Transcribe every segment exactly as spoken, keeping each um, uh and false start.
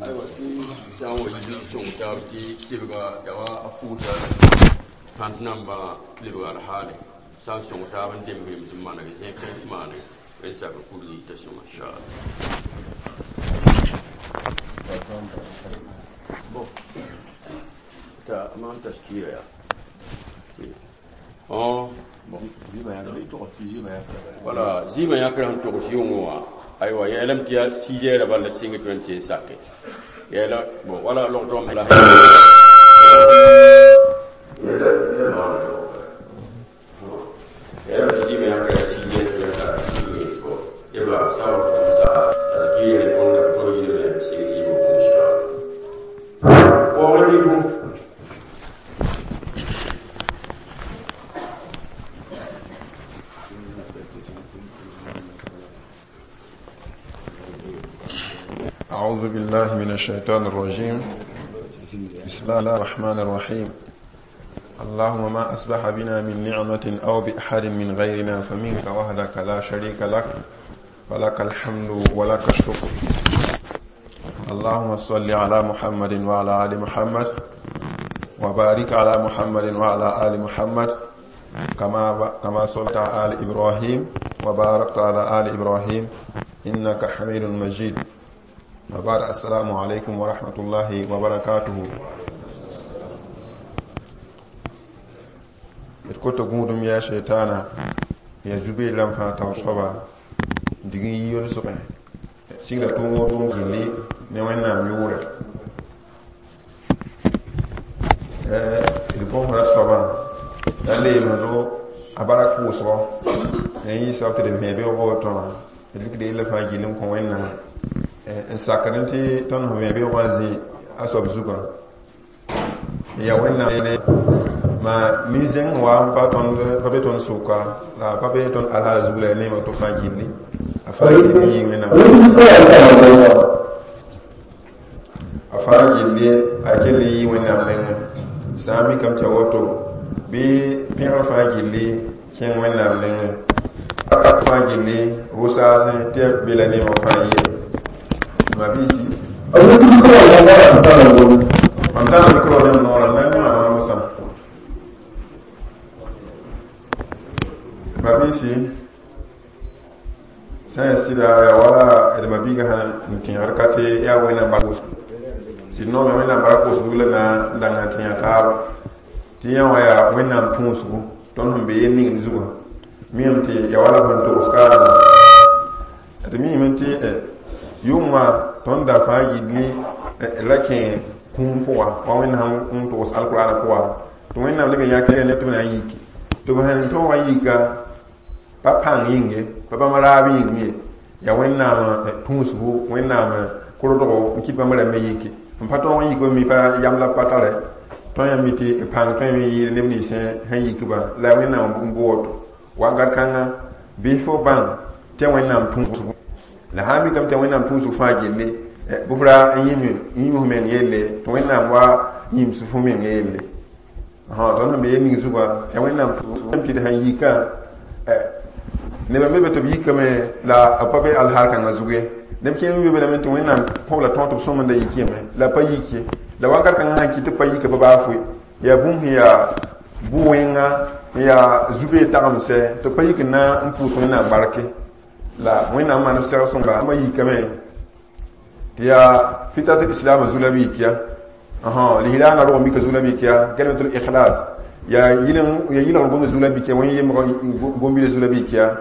Aywa tɩ sã n wa yi sõng taab tɩ sɩbga yaa wa a fuusa tãnt nambã lebg alhaale sã n sõng taab n demg rems n maneg zẽk n maane n sakr kurg yita sõma inchallah. Bon, t'a maan taskiira yaa oh bon, wala zɩɩmã yãkr sẽn togs yʋngẽ wã aywa yeelame tɩ yaa six heures bala sɩng tɩ wẽnd sẽn sake yeela bon wala logtɔ la yeelame tɩ zɩɩmã yãkr yaa six heures tɩ wẽnd sak sɩngẽ bon yeba sã n sa taskiira tõnd tõnd yɩlme sɩng zɩɩmã pʋgẽ inchallah. Waoogr rɩ أعوذ بالله من الشيطان الرجيم. بسم الله الرحمن الرحيم. اللهم ما أصبح بنا من نعمة أو بأحد من غيرنا فمنك وحدك لا شريك لك، ولك الحمد ولك الشكر. اللهم صل على محمد وعلى آل محمد، وبارك على محمد وعلى آل محمد، كما كما صليت على آل إبراهيم وباركت على آل إبراهيم إنك حميد مجيد. وبعد، السلام عليكم ورحمة الله وبركاته. Koto gũudum yaa shaytana ya zube lam fãa taoor soaba dig n yʋlsgẽ sigda tʋʋm tʋʋm gilli ne Wẽnnaam yʋʋrɛ d bõsra soabã la leemdo a barak pʋʋsgɔ n yɩ soab tɩ d vẽ beoogã woto wã d rɩkda yella fãa gill n kõ Wẽnnaam n sakd tɩ tõnd sẽn vẽ beoogã zĩ a soab zugã ya Wẽnnaam ma nin-zẽng wa n pa tõnd pa be tõnd sʋka la pa be tõnd alhaala zug la ya neema to fãa gilli a fãa gilli yɩ Wẽnnaam a fãa gilli a kell yɩ Wẽnnaam nengẽ sã n mikame tɩ a woto bɩ pẽgr fãa gilli kẽng Wẽnnaam nengẽ fãa gilli rʋ-saasẽ tɩ ya be la neema fãa yɩ ma biisi mam tãna micro ne m noorã n na n yõa mosã ma biisi sã n yaa sɩda yaa wala d mabiigã sã n tẽegd ka tɩ yaa Wẽnnaam bark sɩd noome Wẽnnaam bark pʋʋsg la na n dãnga tẽega taaba tɩ yã wã yaa Wẽnnaam tũusgu tõnd sẽn be yel ning zugã miame tɩ ya wala sẽn togs kaarengã d miime tɩ yʋngã tõnd da fãa gilli ra kẽ kũum pʋga wa Wẽnnaam n togs alkurana pʋga tɩ Wẽnnaam leb n yãk ne tɩ b na n yiki tɩ b sẽn tõogã yika pa pãng yĩng ye pa bãmb raab yĩng ye yaa Wẽnnaam tũusgu Wẽnnaam kʋrdgo n kɩt bãmb rãmbã yiki n pa tõog n yik b mi pa yam la pa tare tõe yã mi tɩ pãng tõe me yɩɩd neb nins sẽn yikbã la Wẽnnaam n bʋ woto wakat kãnga bɩ fo bãng tɩ Wẽnnaam tũusgu la sã n mikame tɩ Wẽnnaam tũusg fãa gilli bɩ f ra n yĩm f meng yelle tɩ Wẽnnaam wa yĩms fo meng yelle tõnd sẽn be yel ning zugã yaa Wẽnnaam tɩ d sẽn yikã nebã me be tɩ b yikame la b pa be alhaal kãngã zug ye neb kẽer me be lame tɩ Wẽnnaam kõb la tõog tɩ b sõmenda yik yame la pa yik ye la wakat kãngã sãn kɩt tɩ b pa yika pa baa foe yaa bũmb sẽn yaa bʋ-wẽnga n yaa zubee tagemsɛ tɩ b pa yik n na n pʋʋs Wẽnnaam barke la Wẽnnaam maan b sɛg sõnga bãmba yikame tɩ yaa fitat islam zu la b yik ya lislaangã rog n bika zu la b yik ya kalimatul ikhlas yaa yɩlgr gomd zu la b yik ya wẽn yembg gom-bila zu la b yik ya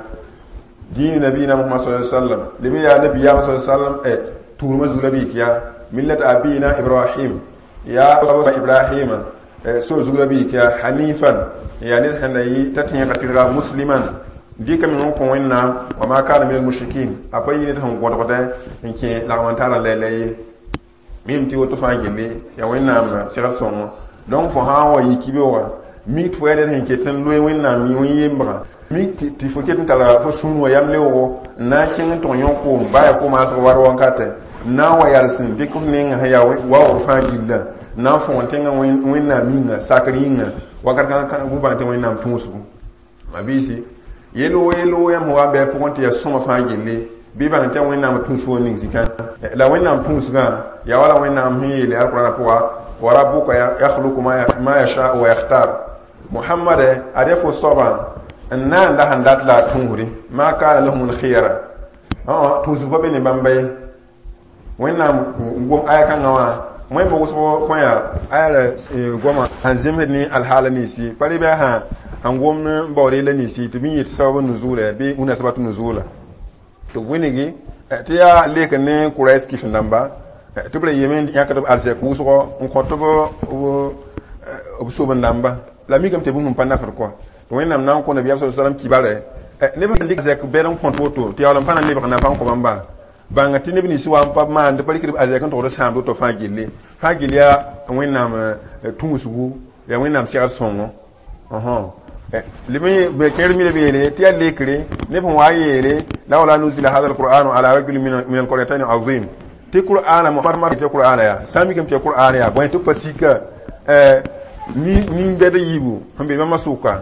diini nabiyina Muhammad sallallahu alaihi wasallam lebe yaa nabiyaam sallallahu alaihi wasallam eh tuurma zu la b yik ya millat abina Ibrahim ya Ibrahima so zu la b yik ya hanifan ya ned sẽn la yɩ t'a tẽegã tɩrga musliman dɩka meng n kõ Wẽnnaam wa ma kana min almushrikin a pa yɩ ned sẽn gõdgdɛ n kẽ lagm n tara lɛlɛ ye mim tɩ woto fãa gilli yaa Wẽnnaam segd sõngo donc fo sã n wa yik beoogã mik tɩ fo yaa ned sẽn ket n loe Wẽnnaam wẽn-yembgã mik tɩ fo ket n tara fo sũur wã yam leoogo n na n kẽng n tʋg yõ koom baa yaa ko-maasg war wankatɛ n na n wa yals n dɩk f nengã sẽn yaa waoog fãa gillã n na n fõgen tẽngã Wẽnnaam yĩnga sakr yĩnga wakat kãngã bũ-bãng tɩ Wẽnnaam tũusgu ma biisi yel-woo yel-woo yãmb sẽn wa n bɩ a pʋgẽ tɩ yaa sõma fãa gilli Bɩ bãng tɩ Wẽnnaam tũus fo ning zikã la Wẽnnaam tũusgã yaa wala Wẽnnaam sẽn yeele alqurana pʋga wa rabbuka yakhluqu ma yasha wa yakhtar. Muhammad ad ya fo soabã n na n la sẽn dat la a tũusri ma kana lahum lkhiyara tũusg pa be ne bãmba ye. Wẽnnaam gom aya kãngã wã wẽmb wʋsg fõ yaa aya la goama sẽn zemsd ne alhaala ninsi pa rɩ bɩ a sẽn gom n baood yella ninsi tɩ bɩ n yet sabab nuzula bɩ munasabatu nuzula tɩ b wɩngi tɩ yaa lek ne Quraish kif dãmba tɩ b ra yeme yãkd b arzɛk wʋsgɔ n kõt b soben dãmba la mikame tɩ bũmb n pa nafd kɔa tɩ Wẽnnaam na n kõ nabiyaam sa sallam kibare neb sẽn dɩk arzɛk bɛd n kõt woto tɩ yaool n pa na n lebg nafa n kõ bãmba bãnga tɩ neb nins wa n pa maand pa rɩkd arzɛk n togd sãamd woto fãa gilli fãa gill yaa Wẽnnaam tũusgu yaa Wẽnnaam segd sõngo leb kẽer mi beele tɩ yaa lekre neb sẽn wa yeele lawla nuzila hada alqur'anu ala rajulin min alqaryatayn azim tɩ qur'ana Muhammad tɩ qur'ana yaa sã n mikame tɩ qur'ana yaa bõe tɩ b pa sika nin-bɛd yiibu sẽn be bãmba sʋka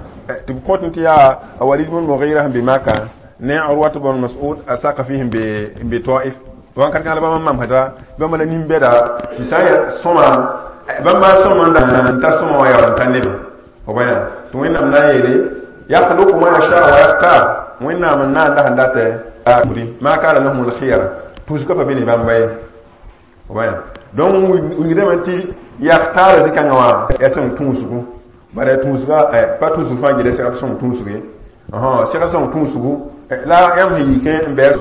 tɩ b kõt tɩ yaa a Walid bn Mughira sẽn be Maka ne Urwat bn Mas'ud a Sakafi sẽn be n be Taif wãnkat kãng la bãmba mamsda bãmba la nin-bɛda tɩ sã n yaa sõma bãmba sõma n ta sõma wã yaool n ta neb f bãya tɩ Wẽnnaam na n yeele yakhluqu ma yasha wa yakhtar. Wẽnnaam n na n la sẽn datɛ ma kana lahum lkhiyara tũusgã pa be ne bãmba ye f bãya. Donc wingdame tɩ yakhtaara zĩ-kãngã wã yaa sõng tũusgu bara tũusga pa tũusg fãa gɩla segd sõng tũusg ye segd sõng tũusgu la yãmb sẽn yikẽ n bɛɛ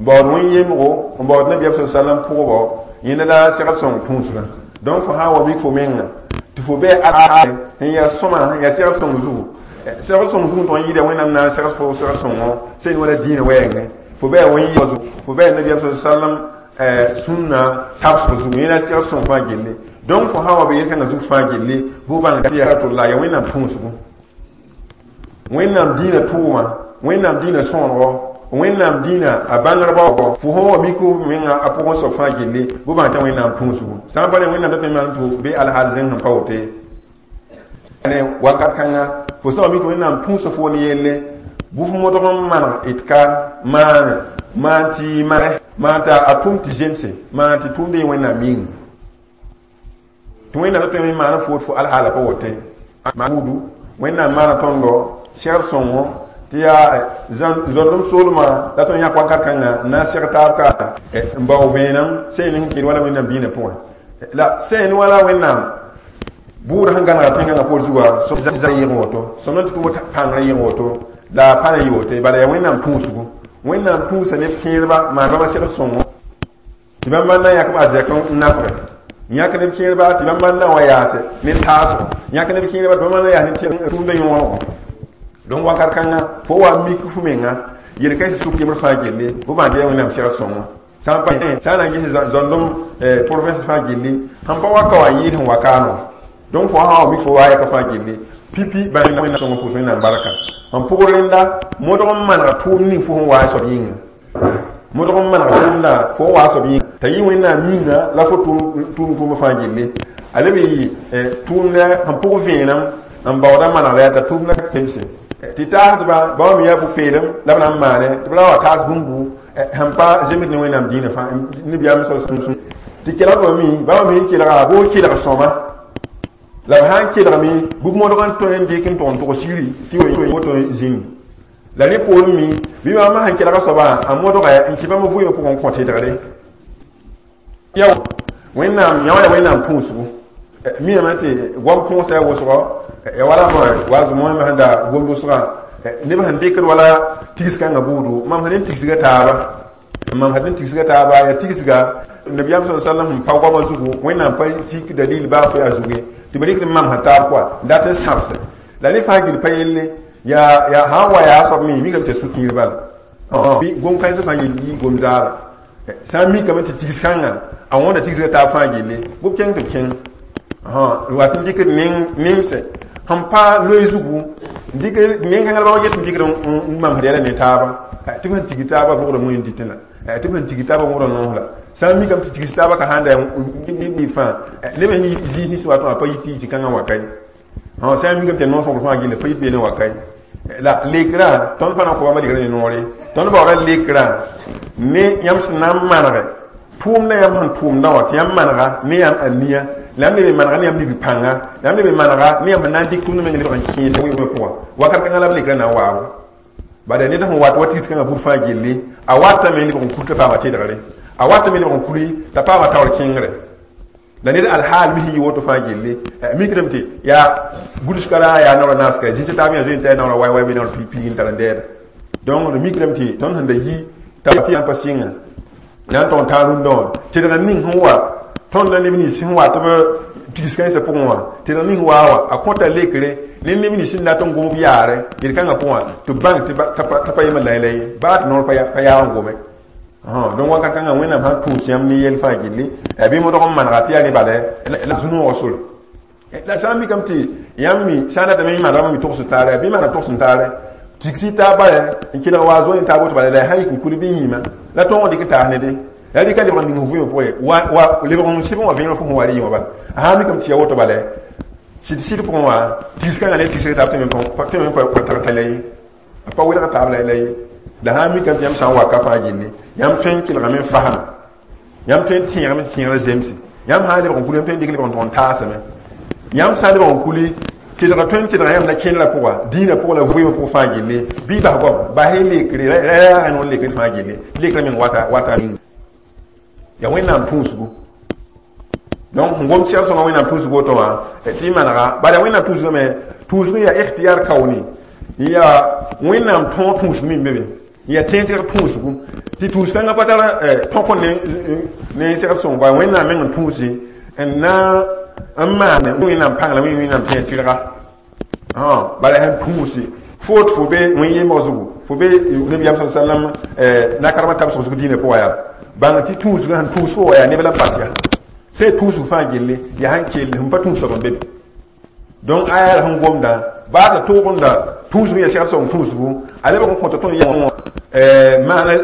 baood wẽn-yemgo n baood nabiyaam sa sallam pʋgbo yẽnda la segd sõng tũusgã. Donc fo sã n wa mik fo menga tɩ fo bɩ n yaa sõma n yaa segd sõng zugu segd sõng zugu n tʋg n yɩɩda Wẽnnaam na n segd fo segd sõngo sẽn wala dĩinã wɛɛngẽ fo bɩ wẽn zugu fo bɩ nabiyaam sa sallam sũnna tabsg zugu yẽna segd sõng fãa gilli. Donc fo sã n wa be yel-kãngã zug fãa gilli fo bãng tɩ yaa ya Wẽnnaam tũusgu Wẽnnaam dĩinã tʋʋma Wẽnnaam dĩinã sõonego Wẽnnaam dĩinã a bãngrba fo sẽn wa mik f menga a pʋgẽ soab fãa gilli bʋ bãng tɩ Wẽnnaam tũusgu sã n pa ne Wẽnnaam dat maan tɩ bɩ alhaal zẽng sẽn pa woto ye ne wakat kãnga fo sã wa mik Wẽnnaam tũusa fo ne yelle bʋ fo modg n maneg d ka maane maan tɩ mane maan t'a a tʋm tɩ zemse maan tɩ tʋʋmd yẽ Wẽnnaam yĩnga tɩ Wẽnnaam dat n maan fo fo alhaala pa woto buudu Wẽnnaam maana tõndo segd sõngo tɩ yaa zõndem soolmã la tõnd yãk wakat kãnga n na n seg taab ka n bao vẽenem sẽn sẽn kɩd wala Wẽnnaam dĩinã pʋgẽ la sẽn wala Wẽnnaam buud sẽn gãnega tẽngã poor zuga yɩg woto sõm tɩ tʋm pãngrã yɩg woto la a pa na yɩ woto bala yaa Wẽnnaam tũusgu Wẽnnaam tũusa neb kẽedba maan bãmba segd sõngo tɩ bãmba na n yãk b arzɛk n nafge yãk neb kẽedba tɩ bãmba na wa yaase ne taasgo yãk neb kẽedba tɩ bãmba na yaas ne tũumda yõonego. Donc wakat kãnga fo wa mik fu menga yel-kãensã suk yembr fãa gilli fo bãng tɩ yaa Wẽnnaam segd sõngo sã n pa sã n na n ges zõndem province fãa gilli sẽn pa waka wa n yɩɩd sẽn wa kaano. Donc fo sã wa mik fo wa yɛka fãa gilli pipi bãng Wẽnnaam sõngo pʋʋs Wẽnnaam barka n pʋg rẽnda modg n manega tʋʋm ning fo sẽn waa soab yĩnga modg n manega tʋʋmda fo n waa soab yĩnga t'a yɩ Wẽnnaam yĩnga la fo tʋʋm tʋʋmã fãa gilli a leb yɩ tʋʋmda sẽn pʋg vẽenem n baooda manegda yaa t'a tʋʋmda pemse tɩ taasdba bãmb me yaa bu-peelem la b na n maane tɩ b ra wa taas bũmbu sẽn pa zemsd ne Wẽnnaam dĩinã fãa nebiyaam tɩ kelgdbã mi bãmb me kelga boo kelg sõma la b sã n kelgame bɩ b modg n tõe n dɩk n tʋg n tʋg sigri tɩ woto zĩnd la rẽ poorẽ mi bɩ bãmb sẽn kelga soabã a modga n kɩ bãmb vʋʋmã pʋgẽ n kõ tɩdgre ya Wẽnnaam yã wã yaa Wẽnnaam tũusgu miname tɩ goam põosa yaa wʋsgɔ ya wala wa zʋmõ sẽn da gomd wʋsgã neb sẽn dɩkd wala tigs kãngã buudu mam sẽn tigsga taaba mam sẽn tigsga taaba yaa tigsga nabiyaam sa sallam sẽn pa goamã zugu Wẽnnaam pa sik dalil baa fo yaa zugu ye tɩ b rɩkd mam sẽn taab kɔa n dat n sãbse la rẽ fãa gill pa yelle yaa yaa sã n wa yaa soab me mikame tɩ sũ-kiir bala bɩ gom-kãensã fãa yell yɩ gom-zaara sã n mikame tɩ tigs kãngã a wõnda tigsga taab fãa gilli bʋ b kẽng tɩ b kẽng wat n dɩkd nemse sẽn pa loe zugu dɩk nen-kãngã la bãmb get n dɩkd n mamsd yɛla ne taaba tɩ b sẽn tig taaba vʋgda moẽ dɩtẽ la tɩ b sẽn tig taaba wʋgda noos la sã n mikame tɩ tigs taaba ka sãn da fãa neb sẽn zĩis nins wa tõa pa yit tɩ zĩ-kãngã wa ka ye sã n mikame tɩ noos fãa gilli pa yit beene wa ka ye la lekrã tõnd pa na n kõ bãmba lekrã ne noore tõnd baooda lekrã Ne yãmb sẽn na n manege tʋʋmdã yãmb sẽn tʋʋmdã wã tɩ yãmb manega ne yãmb aniya la yãmb leb n manega ne yãmb nibi-pãnga la yãmb leb n manega ne yãmb sẽn na n dɩk tʋʋmdã meng lebg n kẽesa wɩɩmã pʋga wakat kãngã la b lekrã na n waabo bala ned sẽn wat wa tigs kãngã bud fãa gilli a watame lebg n kur t'a paama tedgre a watame lebg n kuri t'a paama taoor kẽngre la ned alhaal mi sẽn yɩ woto fãa gilli mikdame tɩ yaa gʋls-kara yaa naoora naaska zĩsa taab yã zoe n t'a naoora way way bɩ naoor piig n tar n dɛɛda donc d mikdame tɩ tõnd sẽn da yi t'a pa sɩnga na n tog n taa rũndã wã tedg ning sẽn wa tõnd la neb nins sẽn wa tɩ b tigs kãensã pʋgẽ wã tedg ning waa wã a kõta lekre ne neb nins sẽn dat n gom b yaare yel-kãngã pʋgã tɩ b bãng t'a pa yem la la ye baa tɩ noor pa yaag n gome donc wakat kãngã wẽnnaam sãn tũus yãmb ne yell fãa gilli bɩ modg n manega tɩ yaa ne bala la zu-noogã sore la sã n mikame tɩ yãmb mi sã n datame n manegame mi togs taare bɩ maneg togs n taare tigsi taab bala n kelg wa zoe n taab woto bala la sã yik n kul bɩ yĩma la tõog n dɩk n taas ne de la rɩka lebg n ning f vɩɩmã pʋgẽ wa lebg n sɩb n wa vẽeneg fo sẽn wa rɩ yẽ wã bala a sã n mikame tɩ ya woto bala sɩd sɩd pʋgẽ wã tigs kãngã ne tigsg taab tɩ me pa tag t'a la ye a pa welg taab la la ye la sã n mikame tɩ yãmb sã n waka fãa gilli yãmb tõe n kelgame n fasma yãmb tõe n tẽegame tɩ tẽegrã zemse yãmb sã n lebg n kuli yãmb tõe n dɩk lebg n tog n taasame yãmb sã n lebg n kuli tedga tõe n tedga yãmb la kẽndrã pʋga dĩinã pʋgã la vɩɩmã pʋg fãa gilli bɩ bas goam bas y lekre ra yaa noor lekre fãa gilli lekrã meng wata wata ya wẽnnaam tũusgu donc sẽn gom sɛg sõnga wẽnnaam tũusg woto wã tɩ y manega bala wẽnnaam tũusgame tũusg yaa ikhtiyar kauni yaa wẽnnaam tõog tũusg min be be ya tẽeg tɩg tũusgu tɩ tũus kãngã pa tar tõk ne ne sɛgd sõng ba wẽnnaam meng n tũusi n na n maan wẽnnaam pãng la wẽnnaam tẽeg tɩrga bala sẽn tũusi fo tɩ fo be wẽn yembg zugu fo be nabiyaam sa sallam nakarmã tab sʋgsg dĩinã pʋga yaa bãng tɩ tũusgã sẽn tũus fo wa yaa neb la n pas ya sẽn tũusg fãa gilli yaa sẽn kell sẽn pa tũus soab n be be donc aya la sẽn gomdã baa t'a toogenda tũusg ya segd sõng tũusgu a lebg n kõta tõnd yã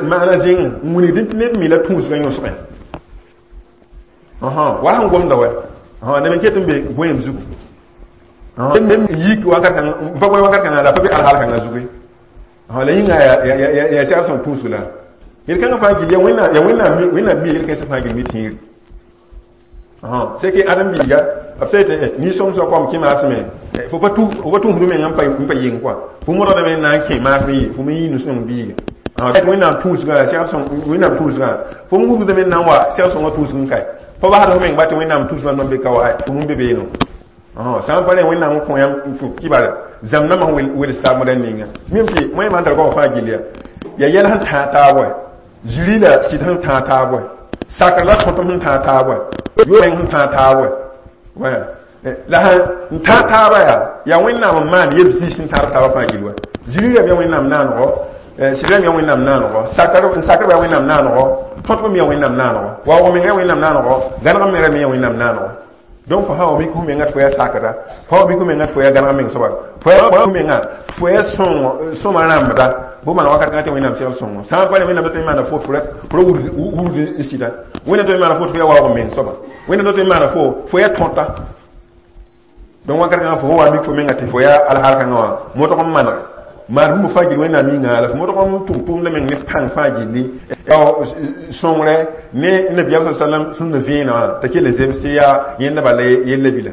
maana zĩng n wilgd tɩ ned mi la tũusgã yõsgẽ wa sẽn gomda wa neb n ket n be goeem zugu neb yik wakat kãng n pa goe wakat kãngã la pa be alhaal kãngã zugu la yĩnga yaa segd sõng tũusg la yel-kãngã fãa gil ya wẽnnaam wẽnnaam mi yel-kãensã fãa gil mi tẽegre c'est que ãdem biiga b sã yetɩ nin-sõmsã kom kẽ maasme fo pa tũusd meng n pa yeng kɔa fo modgdame n na n kẽ maasm ye fo me yɩ nu-sõng biiga wẽnnaam tũusgã segd sõng wẽnnaam tũusgã fo m wubdame n na n wa segd sõngã tũusg n kae pa basd f meng ba tɩ wẽnnaam tũusgã n be ka wa fo m be beeno sã n pa rẽ wẽnnaam n kõ yãmb kɩbar zãmb nambã sẽn wels taab moda ninga mim tɩ wẽn tar goam fãa gill ya ya yɛl sẽn tãag taab wa ziri la sɩd sẽn tãag taab wa sakr la tõtem sẽn tãag taab wa yo meng sẽn tãag taab wa la sẽn tãag taaba yaa yaa wẽnnaam n maan yeb zĩis sẽn tãag taabã fãa gill wa ziri rãmb yaa wẽnnaam naanego sɩd rãmb yaa wẽnnaam naanego sakr sakrba yaa wẽnnaam naanego tõtb me yaa wẽnnaam naanego waoog meng yaa wẽnnaam naanego gãneg meng rã me yaa wẽnnaam naanego donc fo sã wa mik f menga tɩ fo yaa sakra fo wa mik f menga tɩ fo yaa gãneg meng soaba fo yaa menga fo yaa sõma rãmbda bʋ maan wakat kãngã tɩ wẽnnaam segl sõngo sã n pa ne wẽnnaam tɩ maana fo tɩ fo wurd n sɩda wẽnnaam tɩ maana fo tɩ fo yaa waoog meng soaba wẽnnaam tɩ maana fo fo yaa tõta donc wakat kãngã fo wa mik fo menga tɩ fo yaa alhaal kãngã wã modg n manege maan bũmb fãa gill wẽnnaam yĩnga la fo modg n tʋm tʋʋmdã meng ne pãng fãa gilli sõngre ne nabiyaam sa sallam sũnda vẽenã wã t'a kell zems tɩ yaa yẽnda bala yella bila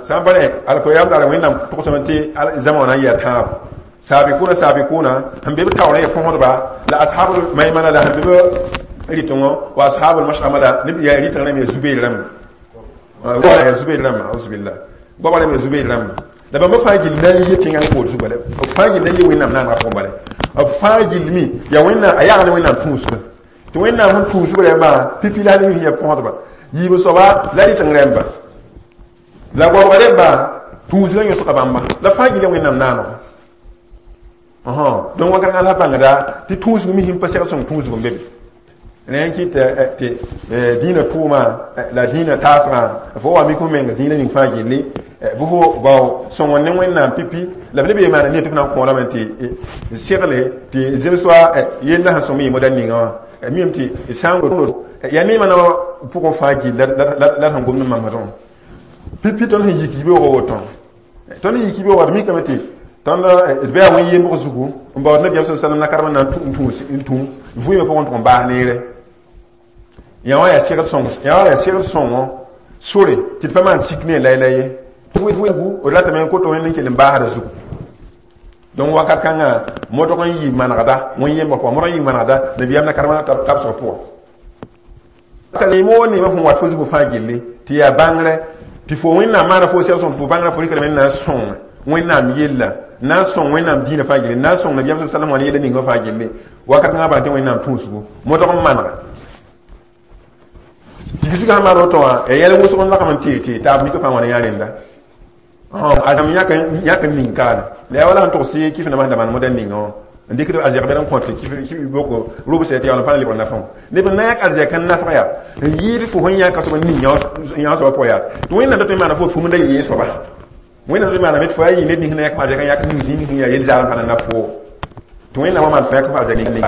sã n pa rẽ alkoyam daara wẽnnaam togsame tɩ zãma wã na n yɩ a tãabo saabikuna saabikuna sẽn be b taoorã ya põsdba la ashabul maimana la sẽn be b rɩtengõ wa ashabul mashama la neb yaa rɩteng rãmb ya zubeer rãmba ya zubeer rãmba auzubillah goaba rãmb ya zubeer rãmba la bãmba fãa gill na n yɩ tẽngã n kood zugu bala b fãa gill na n yɩ wẽnnaam naanegã pʋgẽ bala b fãa gill mi yaa wẽnnaam a yagl ne wẽnnaam tũusgã tɩ wẽnnaam sẽn tũusb rãmbã pipi la ne ya põsdba yiib soaba la rɩteng rãmba la goabga rẽmba tũusgã yõsga bãmba la fãa gill ya wẽnnaam naanegã donc wakat kãngã la bãngda tɩ tũusg mi sẽn pa segd sõng tũusg n be be rẽ n kɩt tɩ dĩinã tʋʋma la dĩinã taasgã fo wa mik f menga zĩig ning fãa gilli bɩ fo bao sõng ne wẽnnaam pipi la b leb ye maana ne tɩ f na n kõorame tɩ segle tɩ zems wa yella sẽn sõm yɩ moda ninga wã mim tɩ sã n yaa neemã na pʋgẽ fãa gill la sẽn gomd n mamsdẽ pipi tõnd sẽn yik yibeoogã woto tõnd sẽn yik yibeoogã d mikame tɩ Tõnd d bɩ a wẽn yembg zugu n baood nabiyaam sa sallam na karem na n tũ n tũ vɩɩmã pʋgẽ tʋg n baas neere. Yã wã yaa segd sõng, yã wã yaa segd sõngo sore tɩ d pa maan sik ne la la ye. D ratame n koto wẽnd n kell n baasda zugu. Donc wakat kãngã modg n yɩ manegda wẽn yembg pʋgã, modg n yɩ manegda nabiyaam na karemã tabsg pʋgã. Ka neem wo neemã sẽn wat fo zugu fãa gilli tɩ yaa bãngrɛ tɩ fo Wẽnnaam maana fo sɛg sõng tɩ fo bãngrã fo rɩkdame n na n sõng Wẽnnaam yella, na n sõng Wẽnnaam dĩinã fãa gilli, na n sõng nabiyaam sa sallam wã ne yella ninga fãa gilli. Wakat kãngã bãng tɩ Wẽnnaam tũusgu modg n manega. Tigsgã sẽn maan woto wã ya yɛl wʋsg n lagm n tee tee taab mika fãa wã ne yã rẽnda. Azam yãk n ning kaane la yaa wala sẽn togs kif nambã sẽn da maan modɛl ninga wã n dɩkd arzɛk bɛd n kõt kif boko robsɛ tɩ yaool n pa lebg nafã. Neb n na yãk arzɛk n nafg yaa n yɩɩd fo sẽn yãka soab n ning yã soabã pʋgã yaa tɩ Wẽnnaam dat n maana fo fum da yee soaba. Wẽnnaam dat n maaname tɩ fo yaa yɩ ned nins na yãk f arzɛk n yãk ning zĩig nins yaa yel zaal n pa na naf fo. Tɩ Wẽnnaam wa maan fo yãk f arzɛk ning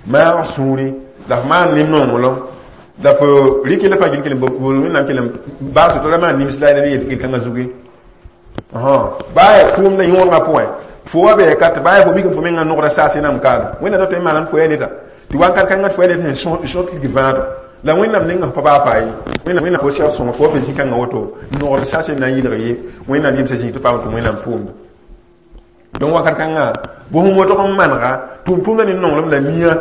maag sũuri la f maan ne nonglem la fo rɩk la fãa gil kell n Wẽnnaam kell n baas tɩ ra maan nims la y yel kãngã zugu. Baa yaa tʋʋmdã yõodgã pʋgẽ fo wa bɩ ka tɩ baa yaa fo mik fo menga nogda saase nam kaana. Wẽnnaam dat n maanam fo yaa neda tɩ wakat kãngã fo yaa ned sẽn sõt ligd vãado la Wẽnnaam nengã pa baa faa ye. Wẽnnaam fo sɛg sõngo fo wa pa zĩ-kãngã woto nogd saase na n yɩlg ye Wẽnnaam yemsã zĩig tɩ paam tɩ Wẽnnaam tʋʋmda. Donc wakat kãngã bõs modg n manega tʋʋm-tʋʋmdã ne nonglem la mia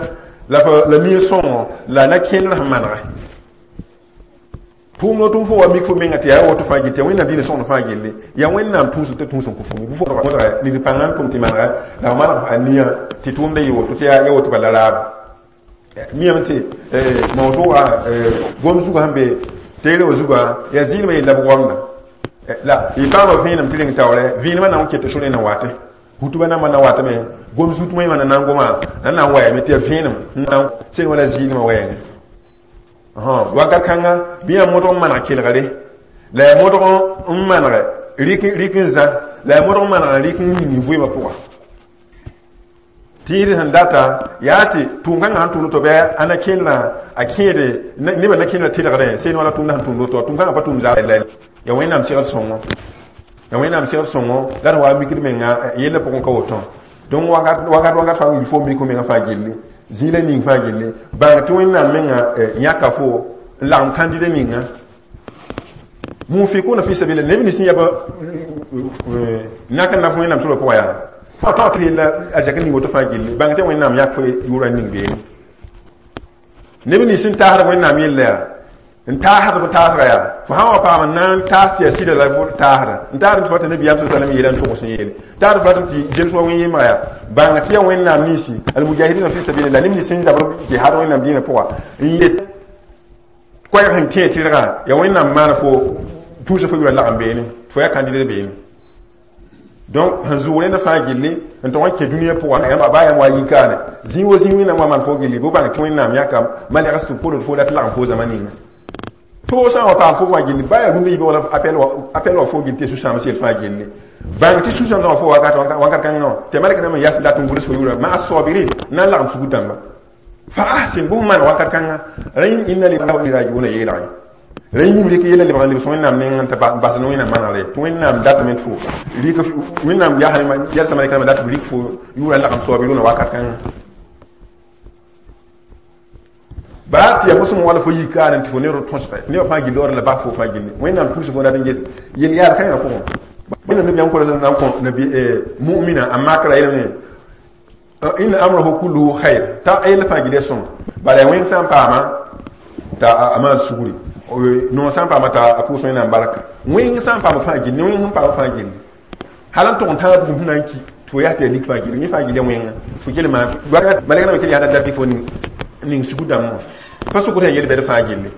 la la mia sõngo la na kẽndr sẽn manega. Tʋʋm no tʋm fo wa mik fo menga tɩ yaa woto fãa gilli tɩ yaa Wẽnnaam dĩinã sõngd fãa gilli yaa Wẽnnaam tũusg tɩ tũus n kõ fo fo modga nid pãngã n tʋm tɩ manega la f maneg a nia tɩ tʋʋmda yɩ woto tɩ yaa woto bala raabo. Miame tɩ mawdʋga gom zugã sẽn be teere wã zugã yaa zɩɩlmã yella b goamda la y paama vẽenem tɩ reng taoorɛ vẽenemã na n ket sore na watẽ hutuba nambã na watame gom zut wẽmã na na n goma na na n wayame tɩ yaa vẽenem n na sẽn wala zɩɩlmã wɛɛngẽ. Wakat kãnga bɩ yaa modg n maneg kelgre la yaa modg n maneg rɩk n zã la yaa modg n maneg rɩk n yĩng vɩɩmã pʋga. Tɩɩd sẽn data yaa tɩ tʋʋm-kãngã sẽn tʋmd to bɩ a na kẽndrã a kẽede nebã na kẽndrã tɩlgdẽ seen wala tʋʋmdã sẽn tʋmd woto tʋʋm-kãngã pa tʋʋm zaal la yaa Wẽnnaam segd sõngo, yaa Wẽnnaam segd sõngo la d wa mikd menga yellã pʋgẽ ka woto. Donc wakat wakat wakat fãa fo mik menga fãa gilli zĩig la ning fãa gilli bãng tɩ Wẽnnaam menga yãka fo n lagem kãndida ninga munfikuna fi sabila neb nins yaba nak n naf Wẽnnaam sorã pʋgã yaa fo tao tɩ yella arzɛk ning woto fãa gilli bãng tɩ Wẽnnaam yãk fo yʋʋra ning beene. Neb nins n taasd Wẽnnaam yella yaa n taasd b taasga yaa fo sã n wa paam n na n taas tɩ yaa sɩda la fo taasda n taasd tɩ fo tɩ nabiyaam sa sallam yeela n togs n yeele taasd fo ratame tɩ zems wa wẽn yembga yaa bãng tɩ yaa Wẽnnaam ninsi almujahidina fi sabilillah neb nins n zabr jihad Wẽnnaam dĩinã pʋga n yet koɛɛg sẽn kẽ tɩrgã yaa Wẽnnaam maana fo tũusa fo yʋra lagem beene fo yaa kandida beene. Donc sẽn zʋg rẽnda fãa gilli n tog n kẽ dũniyã pʋgã yãmb baa yãmb wa yikaane zĩig wo zĩig Wẽnnaam wa maan fo gilli bɩ bãng tɩ Wẽnnaam yãka malɛgs tɩ pʋld fo dat lagem fo zãma ninga. Tʋʋg sã n wa paam fo wã gilli baa yaa rũndã yiibã wala appel wa fo gilli tɩ sũ-sãams yel fãa gilli bãng tɩ sũ-sãamsã wã fo wakat wakat kãngã wã tɩ malɛk rãmb n yas dat n gʋls fo yʋʋra ma asabirin na n lagem sugr dãmba fa ahsin bõs maan wakat kãngã rẽ inna lillahi wa inna ilayhi rajiuna yeelgẽ rẽ yĩm rɩk yella lebg n lebs Wẽnnaam nengã tɩ bas ne Wẽnnaam manegre tɩ Wẽnnaam datame tɩ fo rɩk Wẽnnaam yalsã malɛk rãmbã dat tɩ b rɩk fo yʋʋra n lagem saabirʋna wakat kãngã baa tɩ yaa fo sẽn wala fo yikaane tɩ fo ne tõsge tɩ nebã fãa gilli ora la bas fo fãa gilli Wẽnnaam tũus fo dat n ges yel yaal kãngã pʋgẽ. Wẽnnaam nabiyaam kora na n kõ nabi mu'mina a makra yeelame inna amrahu kulluhu khair t'a yella fãa gilli sõng bala yaa wẽng sã n paama t'a a maan sugri noog sã n paama t'a a pʋʋs Wẽnnaam barka wẽng sã n paama fãa gilli wẽng sẽn paama fãa gilli hal n tʋg n tãag bugum sẽn na n ki tɩ fo yaa tɩ yaa lik fãa gilli yẽ fãa gilli wẽnga fo kell maan malɛk rãmbã kell yaa dat fo ning sugu dãmbã pa sʋkd yaa yel-bɛd fãa gilli.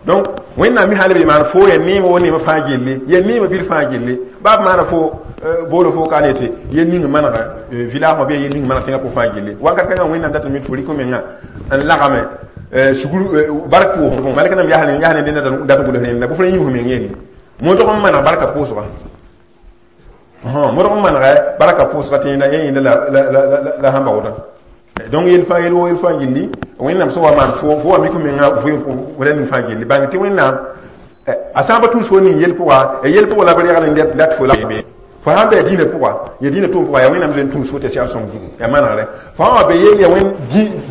Donc Wẽnnaam mi hal b maan fo yaa neema wo neema fãa gilli yaa neema bir fãa gilli baa b maana fo boolo fo ka ne tɩ yel ning manega village wã bɩ yel ning maneg tẽngã pʋgẽ fãa gilli wakat kãngã Wẽnnaam datame mi tɩ fo rɩk menga n lagame sugr bark pʋʋsg malɛk rãmb yaa ne dẽnda dat n gʋls rẽnda bʋ fo rẽ yĩm meng yeele modg n maneg barka pʋʋsga modg n manega barka pʋʋsga tɩ yẽnda la sãn baoodã. Donc yel fãa yel wo yel fãa gilli Wẽnnaam sẽn wa maan fo fo wa mik menga vɩ ning fãa gilli bãng tɩ Wẽnnaam a sã n pa tũus fo ning yel pʋga yel pʋgã la b regl n dat fo la Fo sãn bɩ dĩinã pʋga ya dĩinã tʋʋm pʋga yaa Wẽnnaam zoe n tũus fo tɩ segl sõng zugu yaa manegre fo sã wa be yell ya wẽn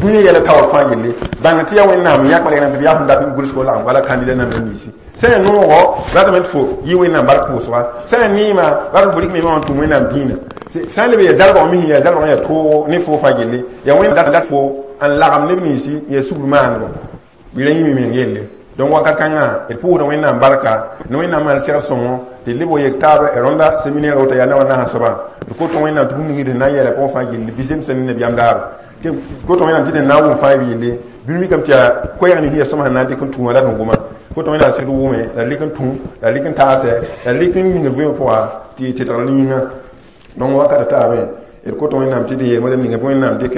dũniyã yɛla taoor fãa yelle bãng tɩ yaa Wẽnnaam yãk malɛk tɩ b yaa sẽn dat n gʋlsgo lagem wala kandida namba ninsi sã yaa noogo ratame tɩ fo yɩ Wẽnnaam bark pʋʋsga sã yaa neema rat fo rɩk me wã n tũum Wẽnnaam dĩinã sã n leb yaa zargã mis yaa zargã yaa toogo ne fo fãa yelle yaa Wẽnnaam dat fo n lagem neb ninsi yaa sugr maandgo bɩ ra yĩme meng yelle donc wakat kãngã d pʋʋsda Wẽnnaam barka ne Wẽnnaam maan segl sõngo tɩ d leb wa yek taab rõnda séminaire woto yaa na wa nasã soabã d kot Wẽnnaam tɩ bũmb ning d na n yɛla pʋgẽ fãa gilli bɩ zemsẽ ne nabiyaam daaba kot Wẽnnaam tɩ d na n wʋm fãa b yelle bɩ mikame tɩ yaa koɛɛg ning yaa sõma sẽn na n dɩk n tũ wã la d wʋma kot Wẽnnaam sɩd wʋme la d lɩk n tũ la d lɩk n taasɛ la d lɩk n ning d vɩɩmã pʋga tɩ tɩdgr yĩnga donc wakat taabẽ d kot Wẽnnaam tɩ d yeel ninga bɩ Wẽnnaam dɩk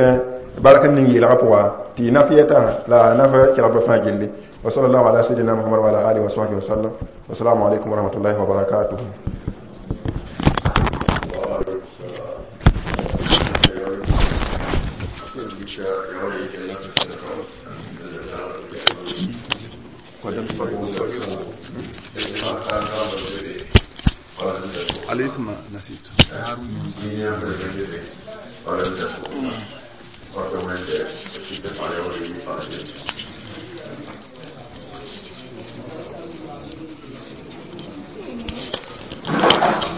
bark n ning yeelgã pʋga tɩ naf yɛta la naf kelgdbã fãa gilli. وصلى الله على سيدنا محمد وعلى آله وصحبه وسلم. والسلام عليكم ورحمة الله وبركاته. الاسم نسيت. Thank you.